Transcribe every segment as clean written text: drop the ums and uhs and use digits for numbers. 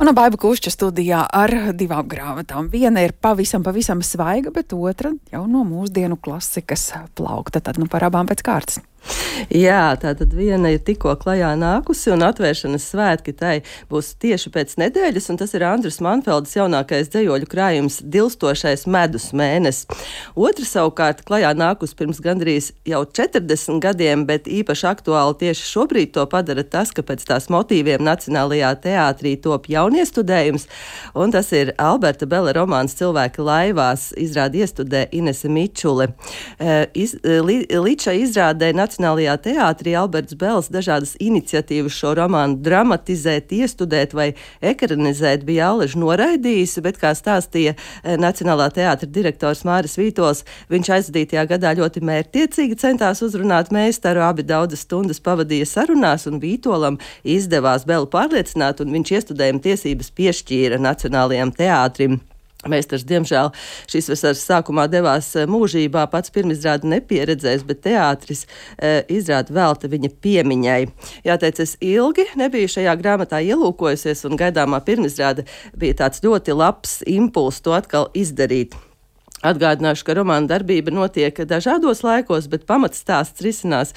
Un Baiba Kušča studijā ar divām grāmatām. Viena ir pavisam svaiga, bet otra jau no mūsdienu klasikas plaukta. Tad par abām pēc kārtas. Jā, tātad viena ir tikko klajā nākusi un atvēršanas svētki tai būs tieši pēc nedēļas, un tas ir Andris Manfeldes jaunākais dzejoļu krājums Dilstošais medus mēnesis. Otra savukārt klajā nākusi pirms gandrīz jau 40 gadiem, bet īpaši aktuāli tieši šobrīd to padara tas, ka pēc tās motīviem Nacionālajā teātrī top jauniestudējums, un tas ir Alberta Bela romāns Cilvēki laivās, izrādi iestudē Inese Mičule. Līdz šai izrādē Nacionālajā teātrī Alberts Bels dažādas iniciatīvas šo romānu dramatizēt, iestudēt vai ekranizēt bija Alež noraidījis, bet, kā stāstīja Nacionālā teātra direktors Māris Vītols, viņš aizvadītajā gadā ļoti mērķtiecīgi centās uzrunāt meistaru, abi daudzas stundas pavadīja sarunās, un Vītolam izdevās Belu pārliecināt, un viņš iestudējuma tiesības piešķīra Nacionālajam teātrim. Meistars, diemžēl, šīs vasaras sākumā devās mūžībā, pats pirmizrādi nepieredzējis, bet teātris izrādi velta viņa piemiņai. Jāteic, es ilgi nebiju šajā grāmatā ielūkojusies, un gaidāmā pirmizrāde bija tāds ļoti labs impulss to atkal izdarīt. Atgādināšu, ka romāna darbība notiek dažādos laikos, bet pamatstāsts risinās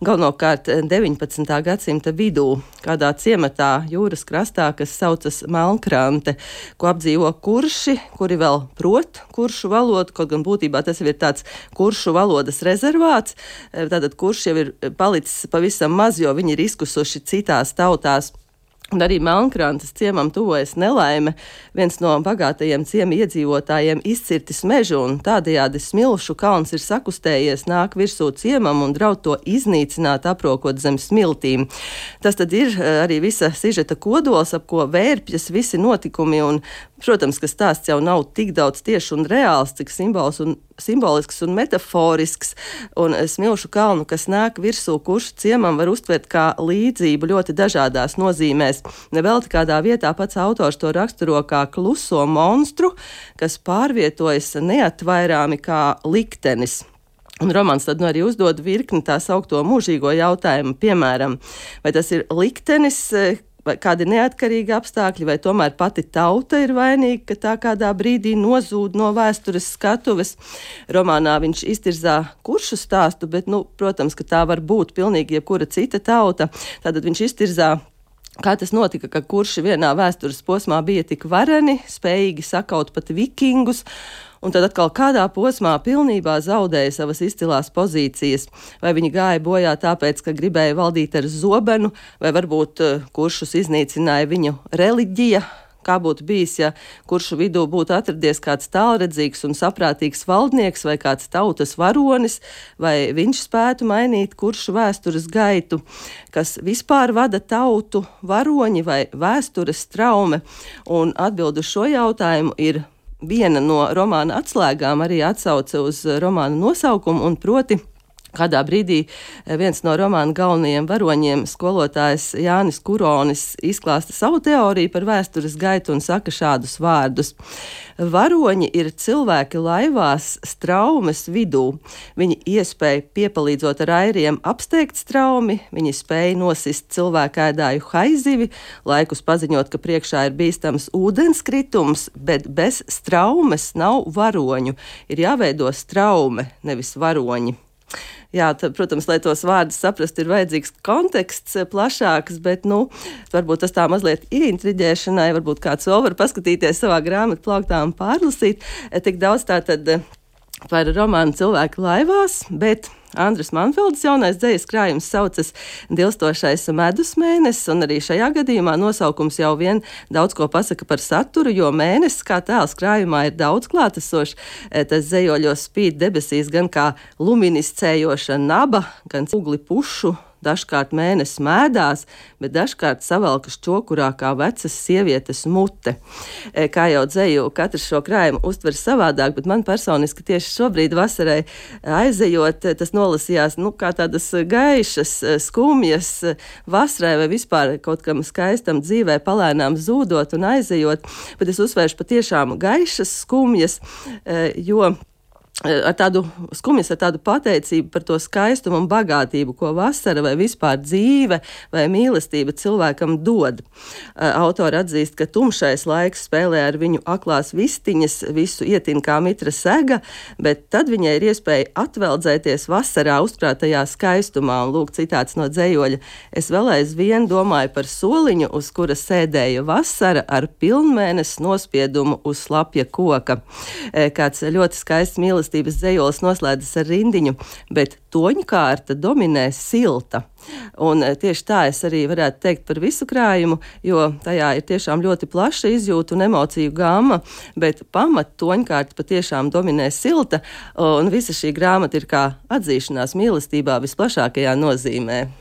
galvenokārt 19. gadsimta vidū, kādā ciematā jūras krastā, kas saucas Melnkrante, ko apdzīvo kurši, kuri vēl prot kuršu valodu, kaut gan būtībā tas ir tāds kuršu valodas rezervāts. Tātad kurši jau ir palicis pavisam maz, jo viņi ir izkusuši citās tautās. Un arī Melnkrantes ciemam tuvojas nelaime, viens no bagātajiem ciema iedzīvotājiem izcirtis mežu, un tādējādi Smilšu kalns ir sakustējies, nāk virsū ciemam un draud to iznīcināt, aprokot zem smiltīm. Tas tad ir arī visa sižeta kodols, ap ko vērpjas visi notikumi, un, protams, ka stāsts jau nav tik daudz tieši un reāls, cik simbolisks un metaforisks, un Smilšu kalnu, kas nāk virsū kuršu ciemam, var uztvert kā līdzību ļoti dažādās nozīmēs. Nevelti kādā vietā pats autors to raksturo kā kluso monstru, kas pārvietojas neatvairāmi kā liktenis. Un romāns tad arī uzdod virkni tā saukto mūžīgo jautājumu, piemēram, vai tas ir liktenis, vai kādi neatkarīgi apstākļi, vai tomēr pati tauta ir vainīga, ka tā kādā brīdī nozūd no vēstures skatuves. Romānā viņš iztirzā kuršu stāstu, bet, protams, ka tā var būt pilnīgi jebkura cita tauta. Tātad viņš iztirzā, kā tas notika, ka kurši vienā vēstures posmā bija tik vareni, spējīgi sakaut pat vikingus, un tad atkal kādā posmā pilnībā zaudēja savas izcilās pozīcijas. Vai viņi gāja bojā tāpēc, ka gribēja valdīt ar zobenu, vai varbūt kuršus iznīcināja viņu reliģija. Kā būtu bijis, ja kuršu vidū būtu atradies kāds tālredzīgs un saprātīgs valdnieks vai kāds tautas varonis, vai viņš spētu mainīt kuršu vēstures gaitu, kas vispār vada tautu, varoņi vai vēstures traume? Un atbildu šo jautājumu ir viena no romāna atslēgām, arī atsauce uz romāna nosaukumu, un proti, kādā brīdī viens no romāna galvenajiem varoņiem, skolotājs Jānis Kuronis, izklāsta savu teoriju par vēstures gaitu un saka šādus vārdus. Varoņi ir cilvēki laivās straumes vidū. Viņi iespēja piepalīdzot ar airiem apsteigt straumi, viņi spēja nosist cilvēkēdāju haizivi, laikus paziņot, ka priekšā ir bīstams ūdenskritums, bet bez straumes nav varoņu. Ir jāveido straume, nevis varoņi. Jā, tad, protams, lai tos vārdus saprastu, ir vajadzīgs konteksts plašāks, bet, varbūt tas tā mazliet ieintriģēšanai, varbūt kāds vēl var paskatīties savā grāmatu plauktā un pārlasīt. Tik daudz tātad par romānu Cilvēki laivās, bet Andris Manfeldes jaunais dzejas krājums saucas Dilstošais medus mēnesis, un arī šajā gadījumā nosaukums jau vien daudz ko pasaka par saturu, jo mēnesis kā tēls krājumā ir daudz klātesošs. Tas dzejoļos spīd debesīs gan kā luminiscējoša naba, gan ugli pušu. Dažkārt mēnesis mēdās, bet dažkārt savelkas čokurā kā vecas sievietes mute. Kā jau dzeju, katrs šo krājumu uztver savādāk, bet man personiski tieši šobrīd vasarai aizejot, tas nolasījās kā tādas gaišas, skumjas vasarai vai vispār kaut kam skaistam dzīvē palēnām zūdot un aizejot, bet es uzsvēršu patiešām gaišas, skumjas, jo ar tādu skumjas, ar tādu pateicību par to skaistumu un bagātību, ko vasara vai vispār dzīve vai mīlestība cilvēkam dod. Autori atzīst, ka tumšais laiks spēlē ar viņu aklās vistiņas, visu ietin kā mitra sega, bet tad viņai ir iespēja atveldzēties vasarā uzkrātajā skaistumā. Un lūk, citāts no dzejoļa: es vēl aizvien domāju par soliņu, uz kura sēdēja vasara ar pilnmēnesi nospiedumu uz slapja koka. Kāds ļoti skaists mīlestības dzejolis noslēdzas ar rindiņu, bet toņkārta dominē silta. Un tieši tā es arī varētu teikt par visu krājumu, jo tajā ir tiešām ļoti plaša izjūtu un emociju gama, bet pamat toņkārta patiešām dominē silta, un visa šī grāmata ir kā atzīšanās mīlestībā visplašākajā nozīmē.